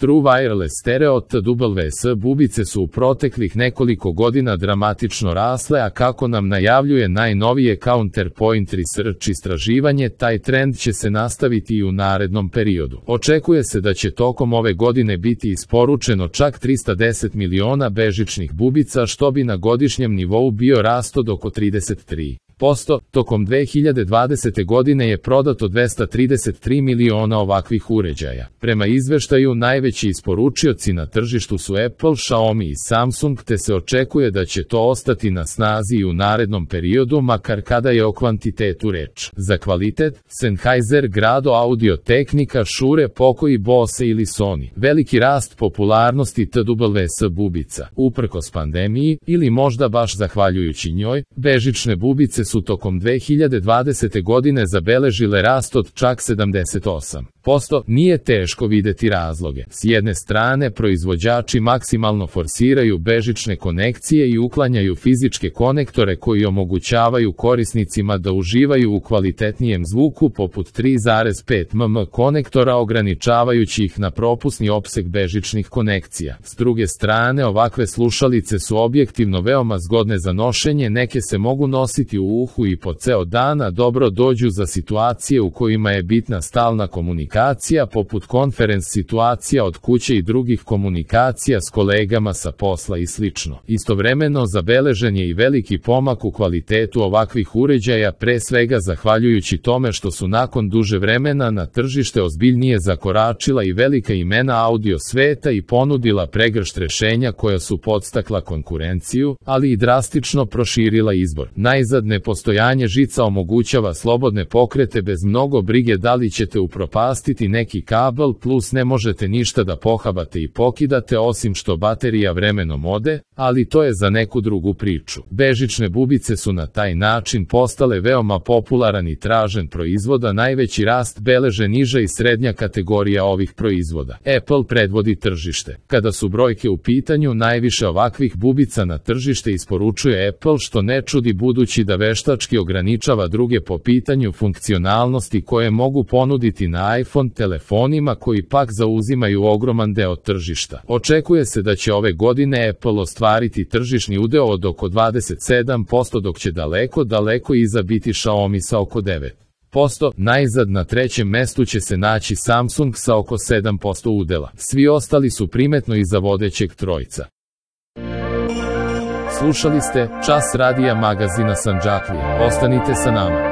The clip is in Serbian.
True Wireless Stereo TWS bubice su u proteklih nekoliko godina dramatično rasle, a kako nam najavljuje najnovije Counterpoint Research istraživanje, taj trend će se nastaviti i u narednom periodu. Očekuje se da će tokom ove godine biti isporučeno čak 310 miliona bežičnih bubica, što bi na godišnjem nivou bio rast od oko 33%. Tokom 2020. godine je prodato 233 miliona ovakvih uređaja. Prema izveštaju, najveći isporučioci na tržištu su Apple, Xiaomi i Samsung, te se očekuje da će to ostati na snazi i u narednom periodu, makar kada je o kvantitetu reč. Za kvalitet, Sennheiser, Grado, Audio-Technica, Shure, Poco, Bose ili Sony. Veliki rast popularnosti TWS bubica. Uprkos pandemiji, ili možda baš zahvaljujući njoj, bežične bubice su tokom 2020. godine zabeležile rast od čak 78%. Nije teško videti razloge. S jedne strane, proizvođači maksimalno forsiraju bežične konekcije i uklanjaju fizičke konektore koji omogućavaju korisnicima da uživaju u kvalitetnijem zvuku poput 3,5 mm konektora, ograničavajući ih na propusni opseg bežičnih konekcija. S druge strane, ovakve slušalice su objektivno veoma zgodne za nošenje, neke se mogu nositi u uhu i po ceo dan, a dobro dođu za situacije u kojima je bitna stalna komunikacija, poput konferens situacija od kuće i drugih komunikacija s kolegama sa posla i sl. Istovremeno, zabeležen je i veliki pomak u kvalitetu ovakvih uređaja, pre svega zahvaljujući tome što su nakon duže vremena na tržište ozbiljnije zakoračila i velika imena audio sveta i ponudila pregršt rešenja koja su podstakla konkurenciju, ali i drastično proširila izbor. Najzad, nepostojanje žica omogućava slobodne pokrete bez mnogo brige da li ćete upropastiti neki kabel, plus ne možete ništa da pohabate i pokidate osim što baterija vremenom ode, ali to je za neku drugu priču. Bežične bubice su na taj način postale veoma popularan i tražen proizvod, a najveći rast beleže niža i srednja kategorija ovih proizvoda. Apple predvodi tržište. Kada su brojke u pitanju, najviše ovakvih bubica na tržište isporučuje Apple, što ne čudi budući da veštački ograničava druge po pitanju funkcionalnosti koje mogu ponuditi na iPhone telefonima, koji pak zauzimaju ogroman deo tržišta. Očekuje se da će ove godine Apple ostvariti tržišni udeo od oko 27%, dok će daleko iza biti Xiaomi sa oko 9%. Najzad, na trećem mestu će se naći Samsung sa oko 7% udela. Svi ostali su primetno iza vodećeg trojca. Slušali ste Čas radija magazina Sandžaklija. Ostanite sa nama.